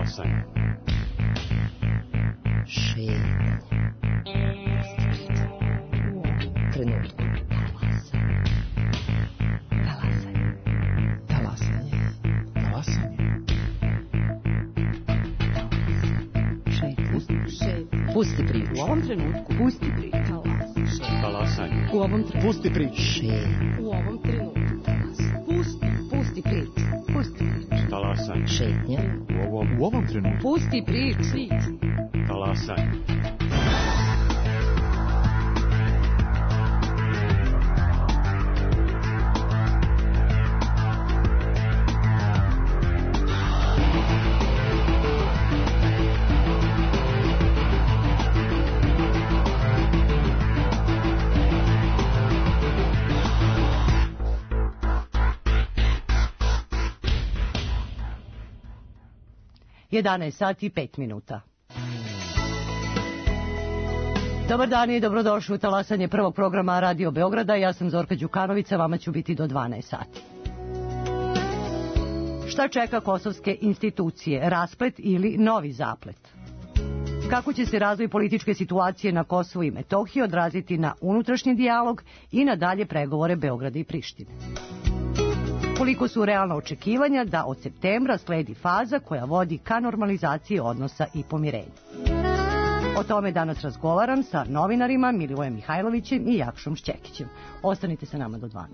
Talasanje. Šetanje. Trenutku. Talasanje. Pusti priču. U ovom trenutku. Pusti priču. Talasanje. U ovom trenutku. Pusti priču. U ovom trenutku. Pusti priču. Pusti priču. Talasanje. Šetnja. U ovom trenutku. Pusti priču. Talasanje. Jedanaest sati i 5 minuta. Dobar dan i dobrodošli u talasanje prvog programa Radio Beograda. Ja sam Zorka Đukanovića, vama ću biti do 12 sati. Šta čeka kosovske institucije? Rasplet ili novi zaplet? Kako će se razvoj političke situacije na Kosovu i Metohiji odraziti na unutrašnji dijalog i na dalje pregovore Beograda i Prištine? Koliko su realna očekivanja da od septembra sledi faza koja vodi ka normalizaciji odnosa i pomirenju? O tome danas razgovaram sa novinarima Milivojem Mihajlovićem i Jakšom Šćekićem. Ostanite sa nama do 12.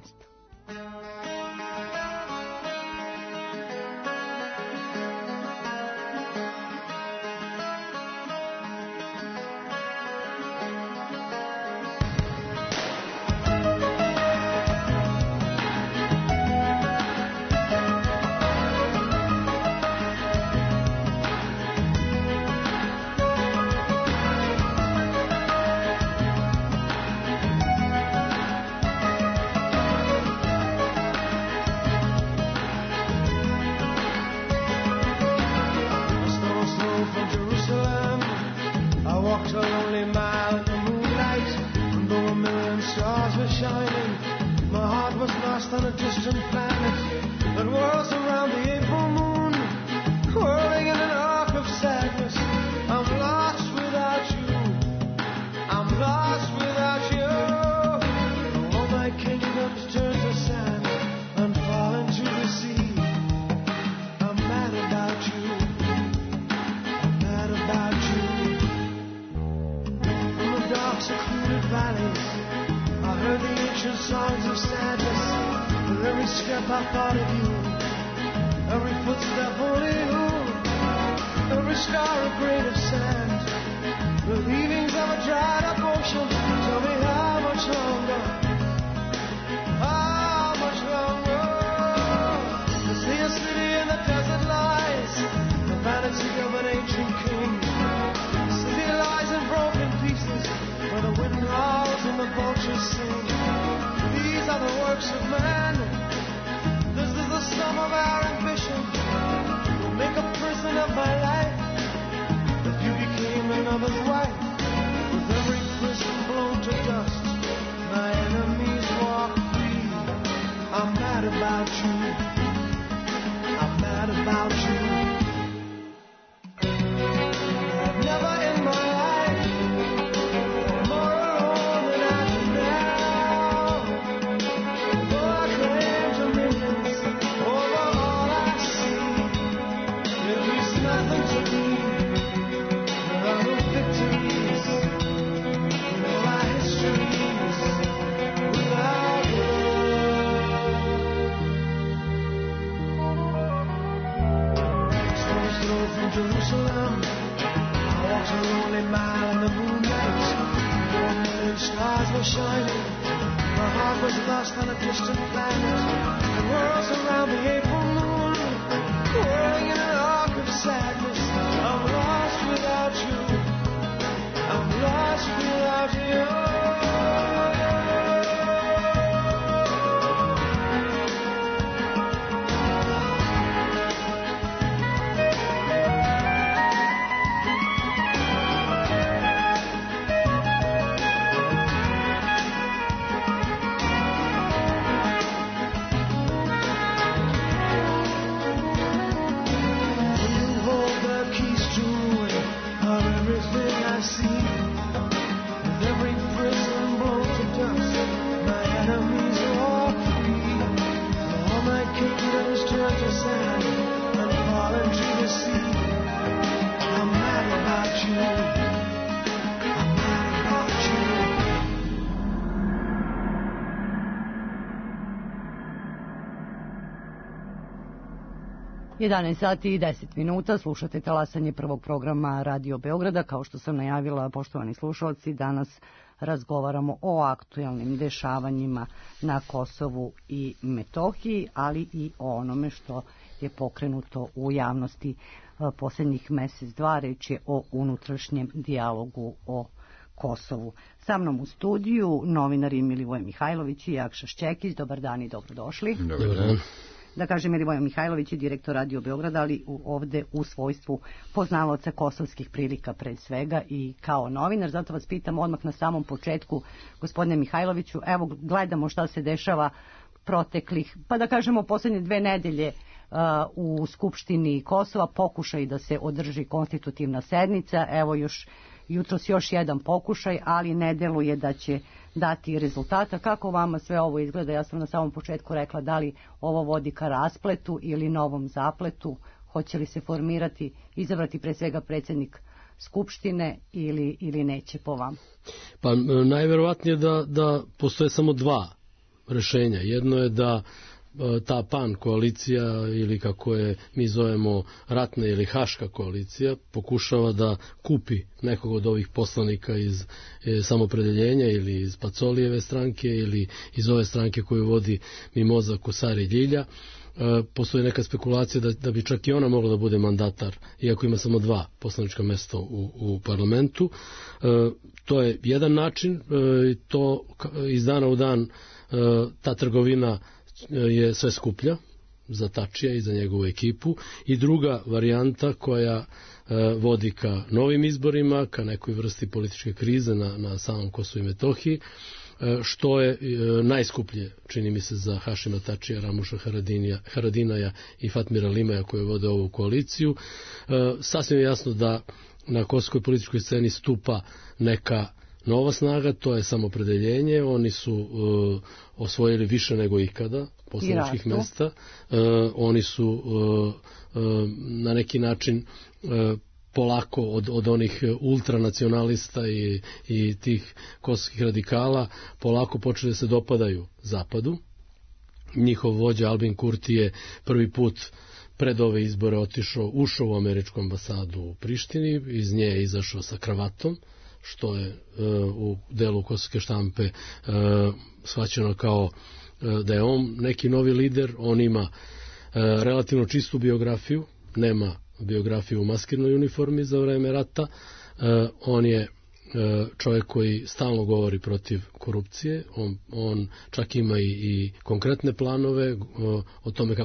11 sati i 10 minuta, slušate talasanje prvog programa Radio Beograda. Kao što sam najavila, poštovani slušalci, danas razgovaramo o aktuelnim dešavanjima na Kosovu i Metohiji, ali i o onome što je pokrenuto u javnosti posljednjih mesec, dva. Reč je o unutrašnjem dijalogu o Kosovu. Sa mnom u studiju novinari Milivoje Mihajlović i Jakša Šćekić. Dobar dan i dobrodošli. Dobar dan. Da kažem, Milivoje Mihajlović je direktor Radio Beograda, ali ovde u svojstvu poznavaoca kosovskih prilika pre svega i kao novinar. Zato vas pitam odmah na samom početku, gospodine Mihajloviću, evo gledamo šta se dešava proteklih, pa da kažemo posljednje 2 nedelje u Skupštini Kosova, pokušaj da se održi konstitutivna sednica, evo jutros još jedan pokušaj, ali ne deluje da će dati rezultata. Kako vama sve ovo izgleda? Ja sam na samom početku rekla da li ovo vodi ka raspletu ili novom zapletu, hoće li se formirati, izabrati pre svega predsjednik Skupštine ili neće po vama? Pa najverovatnije da postoje samo 2 rešenja. Jedno je da ta PAN koalicija ili kako je mi zovemo ratna ili haška koalicija pokušava da kupi nekog od ovih poslanika iz Samopredeljenja ili iz Pacolijeve stranke ili iz ove stranke koju vodi Mimoza Kosari Ljilja. Postoji neka spekulacija da bi čak i ona mogla da bude mandatar, iako ima samo 2 poslanička mesta u parlamentu. To je jedan način, to iz dana u dan ta trgovina je sve skuplja za Tačija i za njegovu ekipu. I druga varijanta koja vodi ka novim izborima, ka nekoj vrsti političke krize na samom Kosovu i Metohiji, što je najskuplje, čini mi se, za Hašima Tačija, Ramuša Haradinaja i Fatmira Limaja koji vode ovu koaliciju. Sasvim je jasno da na kosovskoj političkoj sceni stupa neka nova snaga, to je Samopredeljenje. Oni su osvojili više nego ikada poslaničkih mesta. Oni su na neki način polako od onih ultranacionalista i tih kosovskih radikala polako počeli da se dopadaju Zapadu. Njihov vođa Albin Kurti je prvi put pred ove izbore ušao u američku ambasadu u Prištini, iz nje je izašao sa kravatom, što je u delu kosovske štampe shvaćeno kao da je on neki novi lider. On ima relativno čistu biografiju, nema biografiju u maskirnoj uniformi za vreme rata. On je čovjek koji stalno govori protiv korupcije, on čak ima i konkretne planove o tome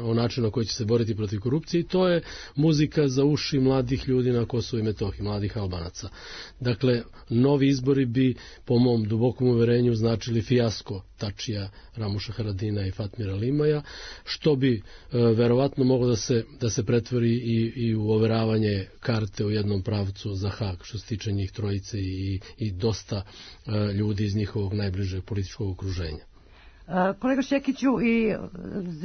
o načinu na koji će se boriti protiv korupcije, i to je muzika za uši mladih ljudi na Kosovu i Metohiji, mladih Albanaca. Dakle, novi izbori bi, po mom dubokom uverenju, značili fijasko Tačija, Ramuša Haradina i Fatmira Limaja, što bi verovatno moglo da se pretvori i u overavanje karte u jednom pravcu za Hag, što se tiče njih trojice i dosta ljudi iz njihovog najbližeg političkog okruženja. Kolega Šćekiću, i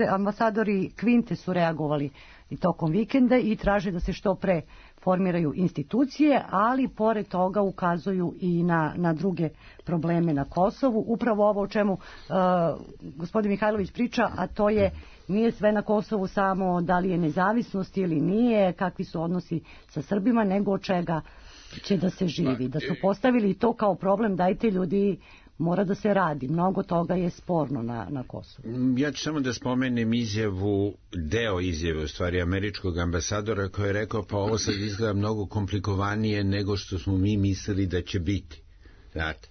ambasadori Kvinte su reagovali i tokom vikenda i traže da se što pre formiraju institucije, ali pored toga ukazuju i na druge probleme na Kosovu. Upravo ovo o čemu gospodin Mihajlović priča, a to je nije sve na Kosovu samo da li je nezavisnost ili nije, kakvi su odnosi sa Srbima, nego od čega će da se živi. Da su postavili to kao problem, dajte ljudi, mora da se radi. Mnogo toga je sporno na Kosovu. Ja ću samo da spomenem deo izjave u stvari američkog ambasadora koji je rekao pa ovo sad izgleda mnogo komplikovanije nego što smo mi mislili da će biti. Znate,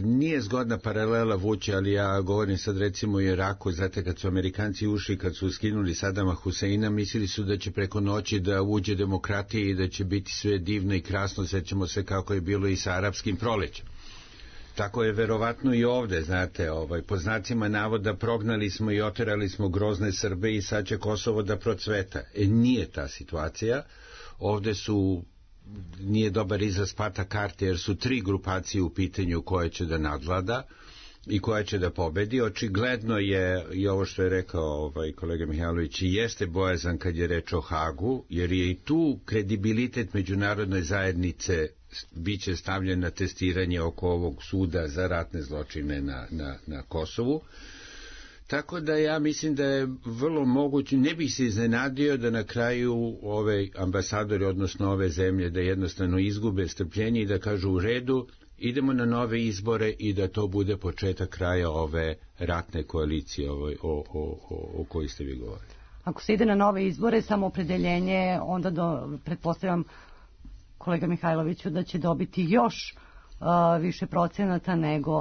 nije zgodna paralela vući, ali ja govorim sad recimo o Iraku, znate kad su Amerikanci ušli, kad su skinuli Sadama Huseina, mislili su da će preko noći da uđe demokratija i da će biti sve divno i krasno, sećamo se kako je bilo i sa arapskim prolećem. Tako je verovatno i ovde, znate, po znacima navoda prognali smo i oterali smo grozne Srbe i sad će Kosovo da procveta. Nije ta situacija. Ovde nije dobar izraz pata karte, jer su 3 grupacije u pitanju koje će da nadvlada i koja će da pobedi. Očigledno je i ovo što je rekao kolega Mihajlović, i jeste bojazan kad je reč o Hagu, jer je i tu kredibilitet međunarodne zajednice biće stavljen na testiranje oko ovog suda za ratne zločine na Kosovu. Tako da ja mislim da je vrlo moguće, ne bih se iznenadio da na kraju ove ambasadori, odnosno ove zemlje, da jednostavno izgube strpljenje i da kažu u redu, idemo na nove izbore i da to bude početak kraja ove ratne koalicije o kojoj ste vi govorili. Ako se ide na nove izbore, samoopredeljenje, onda pretpostavljam, kolega Mihajloviću, da će dobiti još više procenata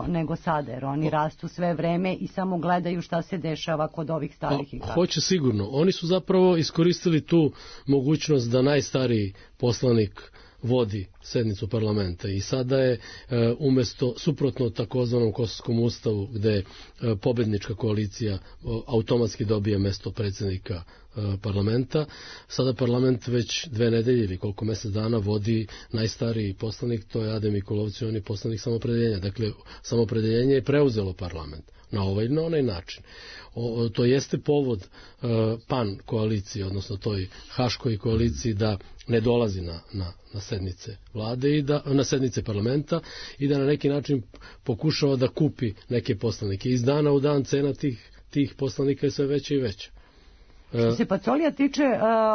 nego sada, jer oni rastu sve vreme i samo gledaju šta se dešava kod ovih starih igrača. Hoće sigurno. Oni su zapravo iskoristili tu mogućnost da najstariji poslanik vodi sednicu parlamenta i sada je umesto suprotno takozvanom Kosovskom ustavu gde pobednička koalicija automatski dobije mesto predsjednika parlamenta, sada parlament već 2 nedelje ili koliko mesec dana vodi najstariji poslanik, to je Adem Mikulovci, on je poslanik Samoopredeljenja. Dakle, Samoopredeljenje je preuzelo parlament na ovaj ili na onaj način. To jeste povod PAN koaliciji, odnosno toj Haškoj koaliciji da ne dolazi na sednice vlade i na sednice parlamenta i da na neki način pokušava da kupi neke poslanike. Iz dana u dan cena tih poslanika je sve veća i veća. Što se Pacolija tiče,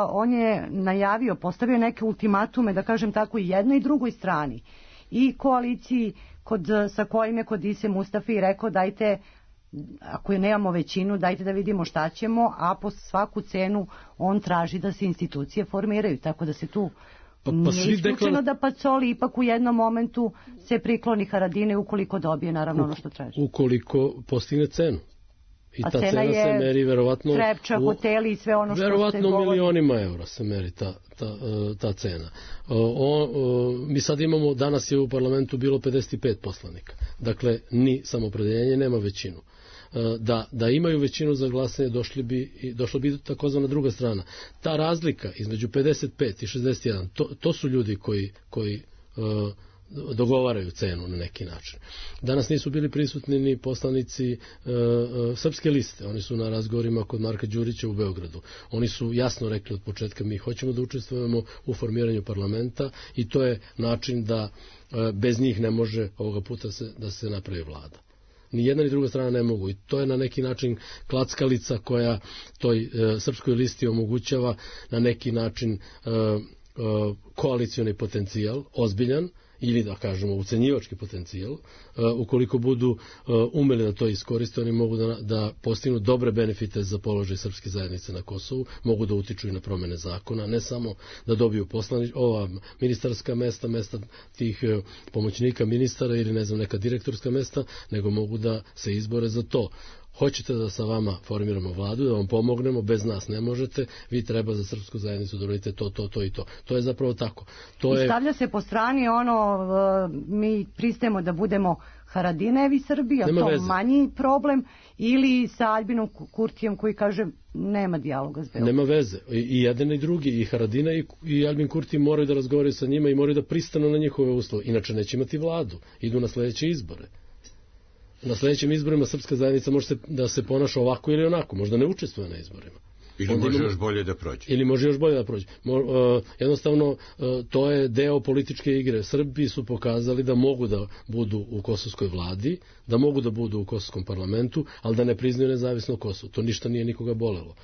on je najavio, postavio neke ultimatume, da kažem tako, i jednoj i drugoj strani. I koaliciji sa kojim je kod Ise Mustafi rekao dajte, ako nemamo većinu, dajte da vidimo šta ćemo, a po svaku cenu on traži da se institucije formiraju, tako da se tu nije isključeno da Pacoli ipak u jednom momentu se prikloni Haradine ukoliko dobije naravno ono što traži. Ukoliko postigne cenu. I ta cena se meri verovatno Trepča, hoteli i sve ono što verovatno se govori. milionima eura se meri ta cena. Mi sad imamo, danas je u parlamentu bilo 55 poslanika. Dakle, ni Samoopredeljenje nema većinu. Da imaju većinu za glasanje došla bi takozvana druga strana. Ta razlika između 55 i 61, to su ljudi koji dogovaraju cenu na neki način. Danas nisu bili prisutni ni poslanici Srpske liste. Oni su na razgovorima kod Marka Đurića u Beogradu. Oni su jasno rekli od početka mi hoćemo da učestvujemo u formiranju parlamenta i to je način da bez njih ne može ovoga puta da se napravi vlada. Ni jedna ni druga strana ne mogu i to je na neki način klackalica koja toj Srpskoj listi omogućava na neki način koalicioni potencijal, ozbiljan, ili da kažemo ucenjivački potencijal. Ukoliko budu umeli da to iskoriste, oni mogu da postignu dobre benefite za položaj srpske zajednice na Kosovu, mogu da utiču i na promene zakona, ne samo da dobiju ova ministarska mesta tih pomoćnika ministara ili ne znam neka direktorska mesta, nego mogu da se izbore za to. Hoćete da sa vama formiramo vladu, da vam pomognemo, bez nas ne možete, vi treba za srpsku zajednicu da uradite to i to. To je zapravo tako. I stavlja se po strani mi pristajemo da budemo Haradinevi Srbi, a to manji problem, ili sa Aljbinom Kurtijem koji kaže nema dijaloga s Beogradom. Nema veze. I jedan i drugi, i Haradina i Aljbin Kurti moraju da razgovaraju sa njima i moraju da pristanu na njihove uslove. Inače neće imati vladu. Idu na sledeće izbore. Na sledećim izborima srpska zajednica može da se ponaša ovako ili onako, možda ne učestvuje na izborima. Ili može još bolje da prođe. Jednostavno, to je deo političke igre. Srbi su pokazali da mogu da budu u kosovskoj vladi, da mogu da budu u kosovskom parlamentu, ali da ne priznaju nezavisno Kosovo. To ništa nije nikoga bolelo.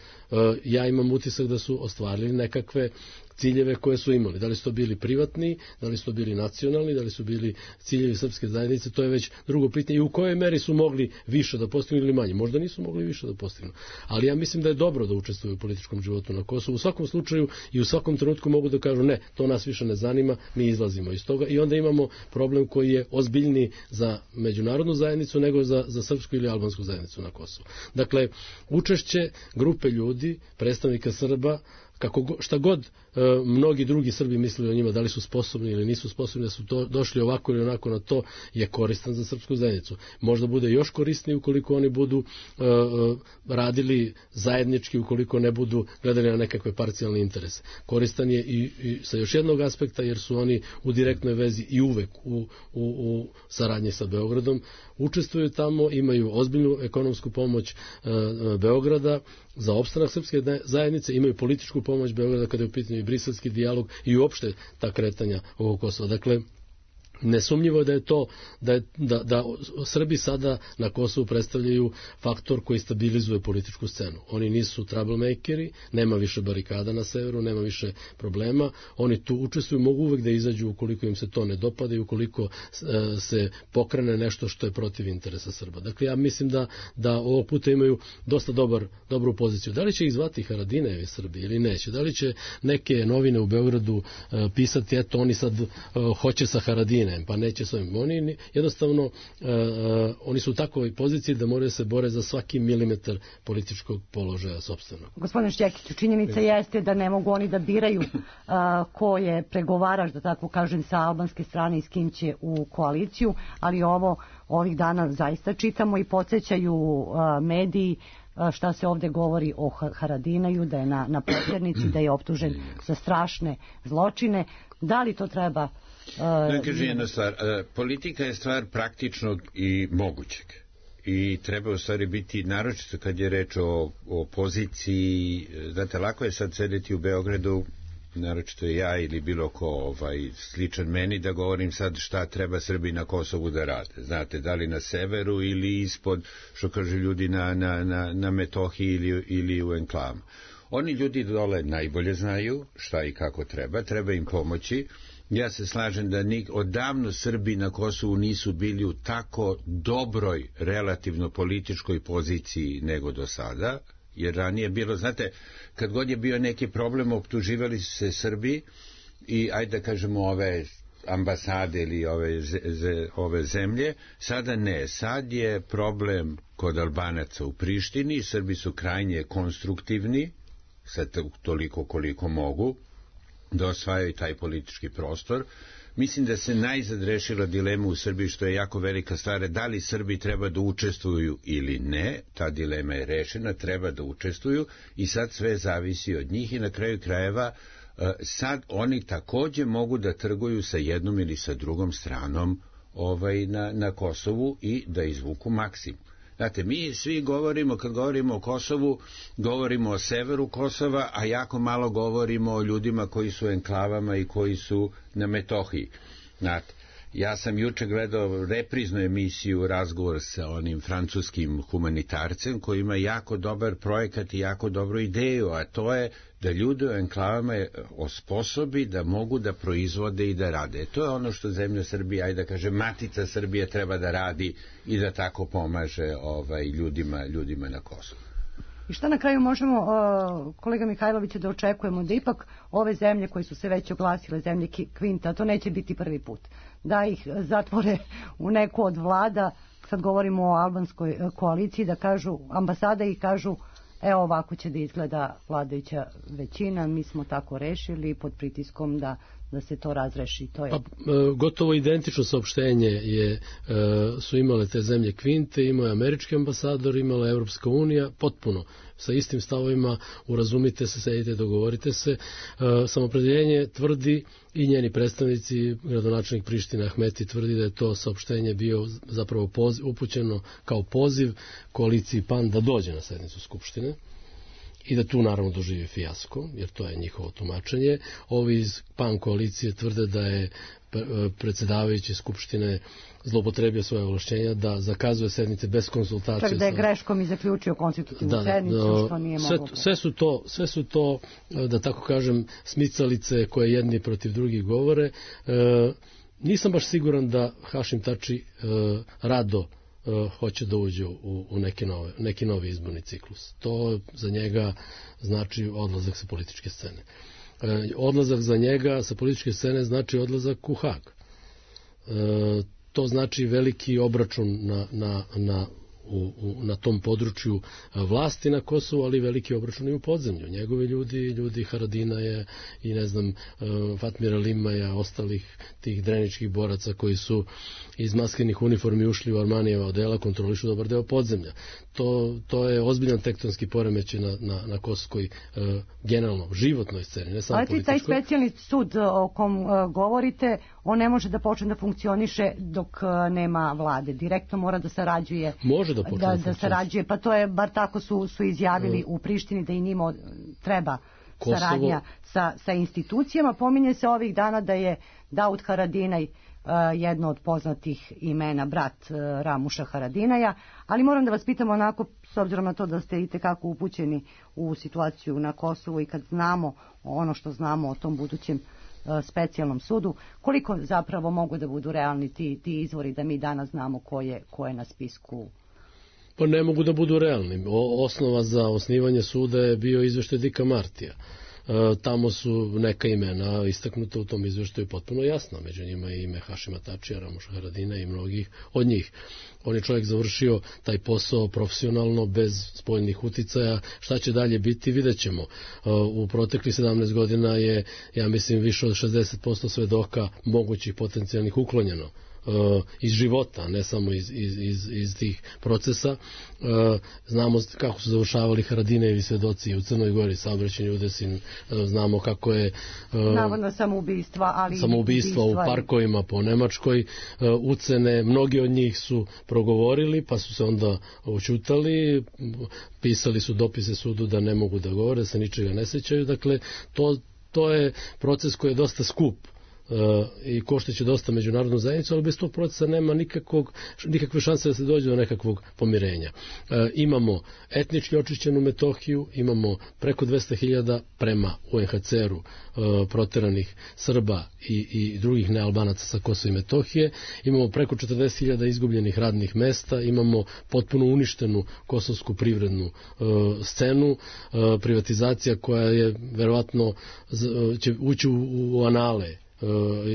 Ja imam utisak da su ostvarili nekakve ciljeve koje su imali. Da li su to bili privatni, da li su to bili nacionalni, da li su bili ciljevi srpske zajednice, to je već drugo pitanje. I u kojoj meri su mogli više da postignu ili manje. Možda nisu mogli više da postignu. Ali ja mislim da je dobro da učestvuju u političkom životu na Kosovu. U svakom slučaju i u svakom trenutku mogu da kažu ne, to nas više ne zanima, mi izlazimo iz toga i onda imamo problem koji je ozbiljniji za međunarodnu zajednicu nego za srpsku ili albansku zajednicu na Kosovu. Dakle, učešće grupe ljudi, predstavnika Srba, šta god mnogi drugi Srbi mislili o njima, da li su sposobni ili nisu sposobni, da su došli ovako ili onako na to, je koristan za srpsku zajednicu. Možda bude još korisniji ukoliko oni budu radili zajednički, ukoliko ne budu gledali na nekakve parcijalne interese. Koristan je i sa još jednog aspekta, jer su oni u direktnoj vezi i uvek u saradnji sa Beogradom. Učestvuju tamo, imaju ozbiljnu ekonomsku pomoć Beograda za opstanak srpske zajednice, imaju političku pomoć Beograda kada je u pitanju i briselski dijalog i uopšte ta kretanja ovog Kosova. Dakle, Nesumnjivo je da je to da Srbi sada na Kosovu predstavljaju faktor koji stabilizuje političku scenu. Oni nisu troublemakeri, nema više barikada na severu, nema više problema. Oni tu učestvuju, mogu uvek da izađu ukoliko im se to ne dopada i ukoliko se pokrene nešto što je protiv interesa Srba. Dakle, ja mislim da ovog puta imaju dosta dobru poziciju. Da li će ih zvati Haradinajevi Srbi ili neće? Da li će neke novine u Beogradu pisati, eto, oni sad hoće sa Haradine, pa neće s ovim. Oni jednostavno, oni su u takvoj poziciji da moraju se bore za svaki milimetar političkog položaja sopstvenog. Gospodine Šćekiću, činjenica jeste da ne mogu oni da biraju ko je pregovarač, da tako kažem, sa albanske strane i s kim će u koaliciju, ali ovih dana zaista čitamo i podsjećaju mediji šta se ovde govori o Haradinaju, da je na potjernici, da je optužen za strašne zločine. Da li to treba... Da kažem jedna stvar, politika je stvar praktičnog i mogućeg. I treba u stvari biti, naročito kad je reč o poziciji, znate, lako je sad sedeti u Beogradu, naročito ja ili bilo ko sličan meni, da govorim sad šta treba Srbi na Kosovu da rade. Znate, da li na severu ili ispod, što kažu ljudi na Metohiji ili u enklavama. Oni ljudi dole najbolje znaju šta i kako treba im pomoći. Ja se slažem da odavno Srbi na Kosovu nisu bili u tako dobroj relativno političkoj poziciji nego do sada, jer ranije bilo, znate, kad god je bio neki problem, optuživali su se Srbi i, ajde da kažemo, ove ambasade ili ove zemlje, sada ne. Sad je problem kod Albanaca u Prištini, Srbi su krajnje konstruktivni, sad toliko koliko mogu, da osvajaju taj politički prostor. Mislim da se najzad rešila dilema u Srbiji, što je jako velika stvar, da li Srbi treba da učestvuju ili ne. Ta dilema je rešena, treba da učestvuju i sad sve zavisi od njih i na kraju krajeva sad oni takođe mogu da trguju sa jednom ili sa drugom stranom na Kosovu i da izvuku maksimum. Znate, mi svi govorimo, kad govorimo o Kosovu, govorimo o severu Kosova, a jako malo govorimo o ljudima koji su u enklavama i koji su na Metohiji. Znate, ja sam juče gledao repriznu emisiju, razgovor sa onim francuskim humanitarcem koji ima jako dobar projekat i jako dobru ideju, a to je da ljude u enklavama osposobi da mogu da proizvode i da rade. To je ono što zemlja Srbija, ajde da kaže, matica Srbije treba da radi i da tako pomaže ljudima na Kosovu. I šta na kraju možemo, kolega Mihajlovića, da očekujemo da ipak ove zemlje koje su se već oglasile, zemlje Kvinta, to neće biti prvi put, da ih zatvore u neku od vlada, sad govorimo o albanskoj koaliciji, da kažu, ambasada i kažu, evo ovako će da izgleda vladajuća većina, mi smo tako rešili pod pritiskom da se to razreši. To je... Gotovo identično saopštenje su imale te zemlje Kvinte, imao je američki ambasador, imala je Evropska unija, potpuno sa istim stavovima, urazumite se, sedite, dogovorite se. Samopredeljenje tvrdi i njeni predstavnici, gradonačelnik Prištine Ahmeti tvrdi da je to saopštenje bio zapravo upućeno kao poziv koaliciji PAN da dođe na sednicu Skupštine i da tu naravno doživi fijasko, jer to je njihovo tumačenje. Ovi iz PAN koalicije tvrde da je predsjedavajući Skupštine zloupotrebio svoje ovlašćenja da zakazuje sednice bez konsultacije. Čak da je greškom i zaključio konstitutivnu sednicu, što nije moglo. Sve su to, da tako kažem, smicalice koje jedni protiv drugih govore. Nisam baš siguran da Hašim Tači rado hoće da uđe u neki novi izborni ciklus. To za njega znači odlazak sa političke scene. Odlazak za njega sa političke scene znači odlazak u Hag. To znači veliki obračun na tom području vlasti na Kosovu, ali veliki obračun i u podzemlju. Njegovi ljudi Haradinaja i ne znam Fatmira Limaja, ostalih tih dreničkih boraca koji su iz maskinih uniformi ušli u Armanijeva odela, kontrolišu dobar deo podzemlja. To je ozbiljan tektonski poremećaj na kosovskoj generalno životnoj sceni, ne samo političkoj. Ali taj specijalni sud o kom govorite, on ne može da počne da funkcioniše dok nema vlade. Direktno mora da sarađuje. Može da počne da sarađuje, pa to je, bar tako su izjavili u Prištini, da i njima treba saradnja sa institucijama. Pominje se ovih dana da je Daud Haradinaj jedno od poznatih imena, brat Ramuša Haradinaja, ali moram da vas pitam onako, s obzirom na to da ste itekako upućeni u situaciju na Kosovu i kad znamo ono što znamo o tom budućem specijalnom sudu, koliko zapravo mogu da budu realni ti izvori da mi danas znamo ko je na spisku? Pa ne mogu da budu realni. Osnova za osnivanje suda je bio izveštaj Dika Martija. Tamo su neka imena istaknuta u tom izveštaju potpuno jasno, među njima je ime Hašima Tačija, Ramuša Haradina i mnogih od njih. On je čovjek završio taj posao profesionalno, bez spoljnih uticaja. Šta će dalje biti, vidjet ćemo. U proteklih 17 godina je, ja mislim, više od 60% svedoka mogućih potencijalnih uklonjeno iz života, ne samo iz tih procesa. Znamo kako su završavali Haradinejevi svedoci u Crnoj Gori, saobraćajni udesi, znamo kako je navodno samoubistva u parkovima po Nemačkoj, ucene, mnogi od njih su progovorili pa su se onda oćutali, pisali su dopise sudu da ne mogu da govore, da se ničega ne sećaju. Dakle, to je proces koji je dosta skup i košteće dosta međunarodnu zajednicu, ali bez tog procesa nema nikakve šanse da se dođe do nekakvog pomirenja. Imamo etnički očišćenu Metohiju, imamo preko 200.000 prema UNHCR-u proteranih Srba i drugih nealbanaca sa Kosova i Metohije, imamo preko 40.000 izgubljenih radnih mesta, imamo potpuno uništenu kosovsku privrednu scenu, privatizacija koja je verovatno će ući u anale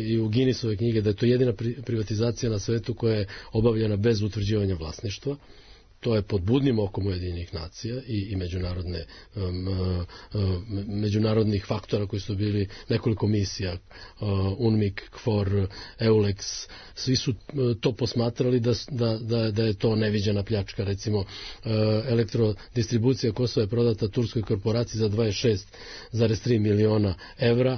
i u Guinnessove knjige, da je to jedina privatizacija na svetu koja je obavljena bez utvrđivanja vlasništva. To je pod budnim okom Ujedinjenih nacija i međunarodnih faktora koji su bili nekoliko misija, UNMIK, KFOR, EULEX, svi su to posmatrali da je to neviđena pljačka. Recimo, elektrodistribucija Kosova je prodata turskoj korporaciji za 26,3 miliona evra,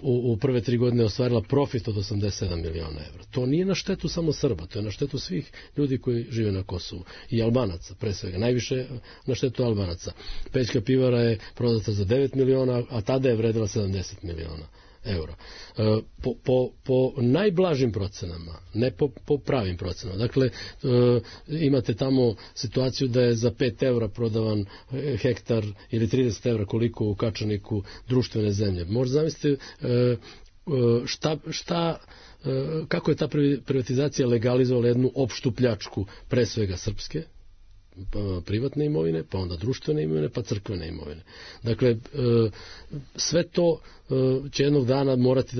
u prve 3 godine ostvarila profit od 87 miliona evra. To nije na štetu samo Srba, to je na štetu svih ljudi koji žive na Kosovu. I Albanaca, pre svega. Najviše na štetu Albanaca. Pećka pivara je prodata za 9 miliona, a tada je vredila 70 miliona eura. Po najblažim procenama, ne po pravim procenama. Dakle, imate tamo situaciju da je za 5 evra prodavan hektar ili 30 evra koliko u Kačaniku društvene zemlje. Možda zamislite kako je ta privatizacija legalizovala jednu opštu pljačku, pre svega srpske, privatne imovine, pa onda društvene imovine, pa crkvene imovine. Dakle, sve to će jednog dana morati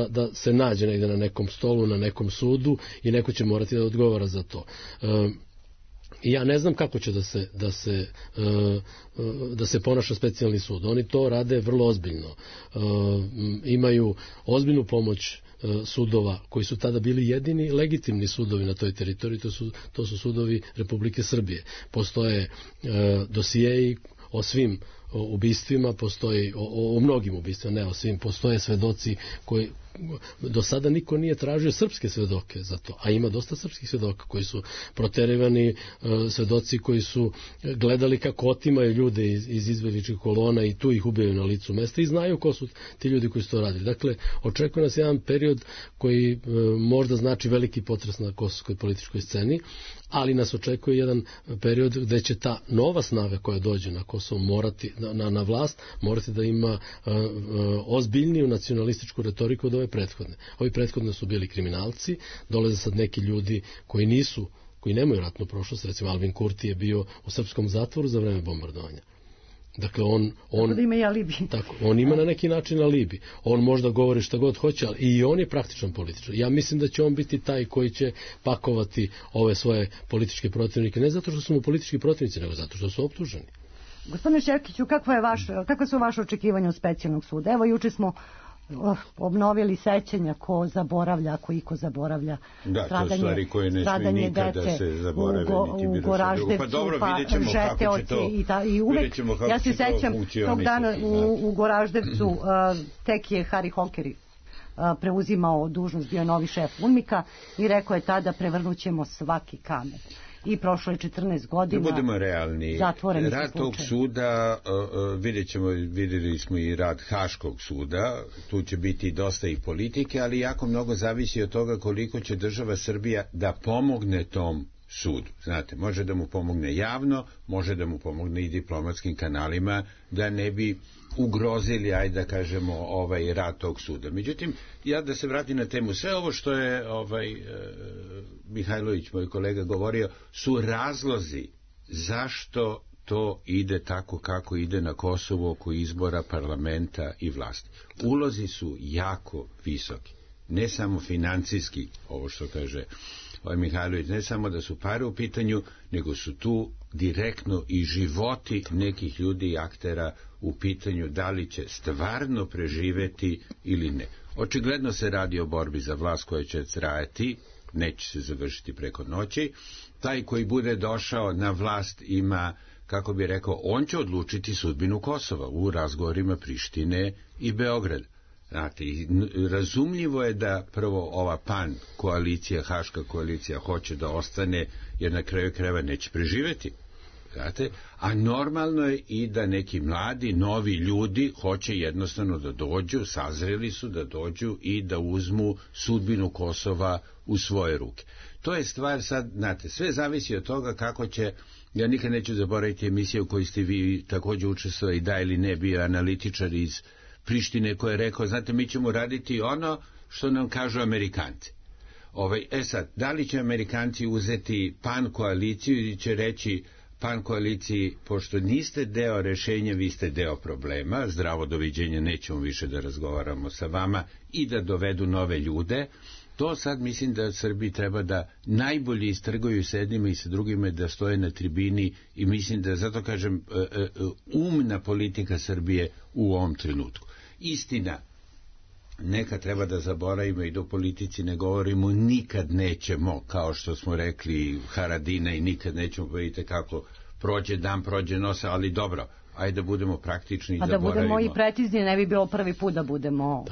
da se nađe negde na nekom stolu, na nekom sudu i neko će morati da odgovara za to. I ja ne znam kako će da se ponaša specijalni sud. Oni to rade vrlo ozbiljno. Imaju ozbiljnu pomoć sudova koji su tada bili jedini legitimni sudovi na toj teritoriji, to su sudovi Republike Srbije. Postoje dosijeji o svim ubistvima, postoji o mnogim ubistvima, ne o svim, postoje svedoci koji do sada niko nije tražio srpske svedoke za to, a ima dosta srpskih svedoka koji su proterivani, svedoci koji su gledali kako otimaju ljude iz izbjegličkih kolona i tu ih ubijaju na licu mesta i znaju ko su ti ljudi koji su to radili. Dakle, očekuje nas jedan period koji možda znači veliki potres na kosovskoj političkoj sceni, ali nas očekuje jedan period gde će ta nova snaga koja dođe na Kosovo morati, na vlast, morati da ima ozbiljniju nacionalističku retoriku od ove prethodne. Ovi prethodne su bili kriminalci, dolaze sad neki ljudi koji nemaju ratnu prošlost, recimo Albin Kurti je bio u srpskom zatvoru za vreme bombardovanja. Dakle, on ima na neki način alibi. On možda govori šta god hoće, ali i on je praktičan političar. Ja mislim da će on biti taj koji će pakovati ove svoje političke protivnike, ne zato što su mu politički protivnici, nego zato što su optuženi. Gospodine Šerkiću, kakva su vaše očekivanja od specijalnog suda? Evo, juče smo obnovili sećanja ko zaboravlja, ako iko zaboravlja stradanje dece u Goraždevcu, pa Žeteoci i uvek, ja se sećam tog dana u Goraždevcu tek je Hari Holkeri preuzimao dužnost, bio novi šef UNMIK-a i rekao je tada prevrnućemo svaki kamen. i prošlo je 14 godina. Da budemo realni. Rad tog suda, vidjeli smo i rad Haškog suda, tu će biti dosta i politike, ali jako mnogo zavisi od toga koliko će država Srbija da pomogne tom sudu. Znate, može da mu pomogne javno, može da mu pomogne i diplomatskim kanalima, da ne bi ugrozili, ajde da kažemo, rad tog suda. Međutim, ja da se vratim na temu, sve ovo što je Mihajlović, moj kolega, govorio, su razlozi zašto to ide tako kako ide na Kosovu oko izbora parlamenta i vlasti. Ulozi su jako visoki, ne samo financijski, ovo što kaže Mihajlović, ne samo da su pare u pitanju, nego su tu direktno i životi nekih ljudi i aktera u pitanju da li će stvarno preživeti ili ne. Očigledno se radi o borbi za vlast koja će trajati, neće se završiti preko noći. Taj koji bude došao na vlast ima, kako bi rekao, on će odlučiti sudbinu Kosova u razgovorima Prištine i Beograda. Znate, razumljivo je da prvo ova PAN koalicija, Haška koalicija hoće da ostane, jer na kraju krajeva neće preživeti. Znate, a normalno je i da neki mladi, novi ljudi hoće jednostavno da dođu, sazreli su da dođu i da uzmu sudbinu Kosova u svoje ruke. To je stvar sad, znate, sve zavisi od toga kako će, ja nikad neću zaboraviti emisiju u kojoj ste vi također učestvovali, da ili ne, bio analitičar iz Prištine koji je rekao, znate, mi ćemo raditi ono što nam kažu Amerikanci. Sad, da li će Amerikanci uzeti PAN koaliciju ili će reći PAN koaliciji, pošto niste deo rešenja, vi ste deo problema, zdravo doviđenja, nećemo više da razgovaramo sa vama i da dovedu nove ljude. To sad mislim da Srbiji treba da najbolje istrgaju s jednima i sa drugima, da stoje na tribini, i mislim da, zato kažem, umna politika Srbije u ovom trenutku. Istina, neka treba da zaboravimo i do politici ne govorimo, nikad nećemo, kao što smo rekli Haradina, i nikad nećemo, vidite kako prođe dan, prođe nosa, ali dobro, ajde da budemo praktični i zaboravimo. A da budemo i precizni, ne bi bilo prvi put da budemo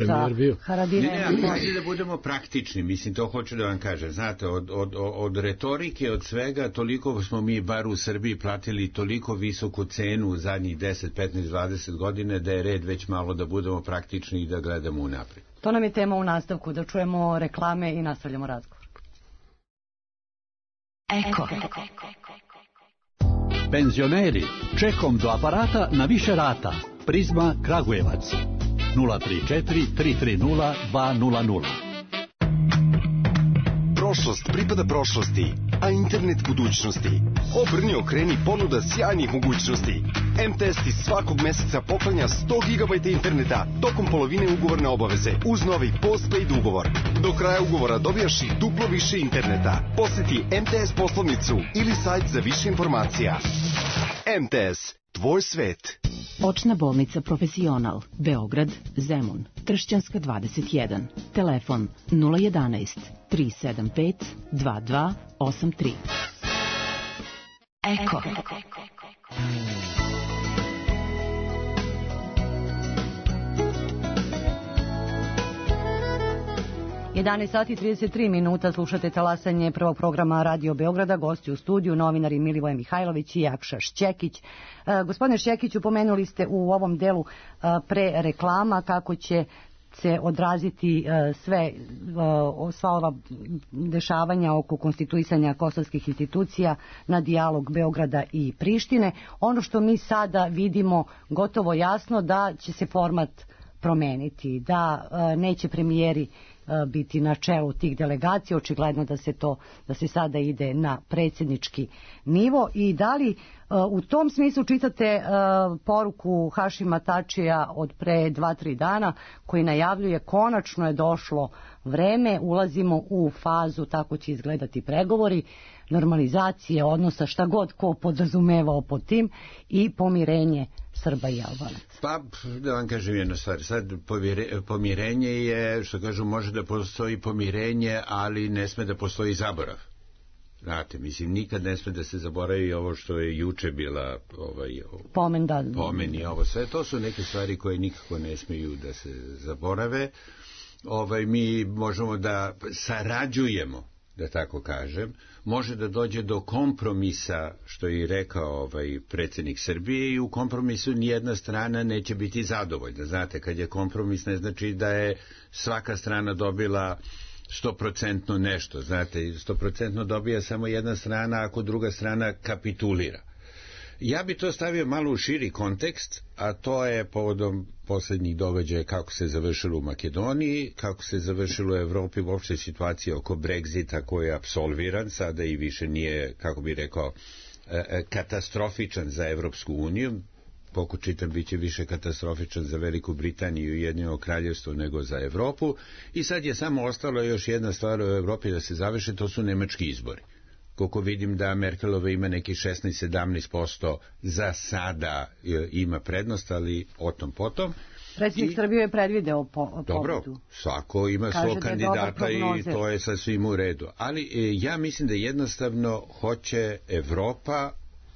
za Haradina. Ajde da budemo praktični, mislim, to hoću da vam kažem. Znate, od retorike, od svega, toliko smo mi, bar u Srbiji, platili toliko visoku cenu u zadnjih 10, 15, 20 godina, da je red već malo da budemo praktični i da gledamo unaprijed. To nam je tema u nastavku, da čujemo reklame i nastavljamo razgovor. Eko. Penzioneri, čekom do aparata na više rata. Prizma Kragujevac 034 330 200. Prošlost pripada prošlosti, a internet budućnosti. Obrni, okreni, ponuda sjajnih mogućnosti. MTS ti svakog meseca poklanja 100 GB interneta tokom polovine ugovorne obaveze uz novi postpaid ugovor. Do kraja ugovora dobijaš i duplo više interneta. Posjeti MTS poslovnicu ili sajt za više informacija. MTS, tvoj svet. Očna bolnica Profesional, Beograd, Zemun, Tršćanska 21, telefon 011 375 2283. Eko. 11 sati i 33 minuta, slušate talasanje prvog programa Radio Beograda, gosti u studiju, novinari Milivoje Mihajlović i Jakša Šćekić. Gospodine Šćekiću, pomenuli ste u ovom delu pre reklama kako će se odraziti sva ova dešavanja oko konstituisanja kosovskih institucija na dijalog Beograda i Prištine. Ono što mi sada vidimo gotovo jasno, da će se format promeniti, da neće premijeri biti na čelu tih delegacija, očigledno da se sada ide na predsjednički nivo. I da li u tom smislu čitate poruku Hašima Tačija od pre 2-3 dana koji najavljuje konačno je došlo vreme, ulazimo u fazu, tako će izgledati pregovori, normalizacije odnosa, šta god ko podrazumevao pod tim, i pomirenje Srba i Albanaca. Pa, da vam kažem jednu stvar, sad pomirenje je, što kažu, može da postoji pomirenje, ali ne sme da postoji zaborav. Znate, mislim, nikad ne sme da se zaboravi ovo što je juče bila pomen i ovo sve. To su neke stvari koje nikako ne smiju da se zaborave. Mi možemo da sarađujemo da tako kažem, može da dođe do kompromisa, što je i rekao predsjednik Srbije, i u kompromisu nijedna strana neće biti zadovoljna. Znate, kad je kompromis, ne znači da je svaka strana dobila 100% nešto. Znate, 100% dobija samo jedna strana ako druga strana kapitulira. Ja bi to stavio malo u širi kontekst, a to je povodom posljednjih događaja kako se završilo u Makedoniji, kako se završilo u Evropi, uopšte situacija oko Brexita koji je apsolviran, sada i više nije, kako bi rekao, katastrofičan za Evropsku uniju. Koliko čitam, bit će više katastrofičan za Veliku Britaniju i Ujedinjeno kraljevstvo nego za Evropu. I sad je samo ostalo još jedna stvar u Evropi da se završe, to su nemački izbori. Koliko vidim da Merkelova ima neki 16-17% za sada ima prednost, ali o tom potom. Predsjednik Srbije je predvideo pobedu. Dobro, svako ima svog kandidata i to je sasvim u redu. Ali ja mislim da jednostavno hoće Evropa,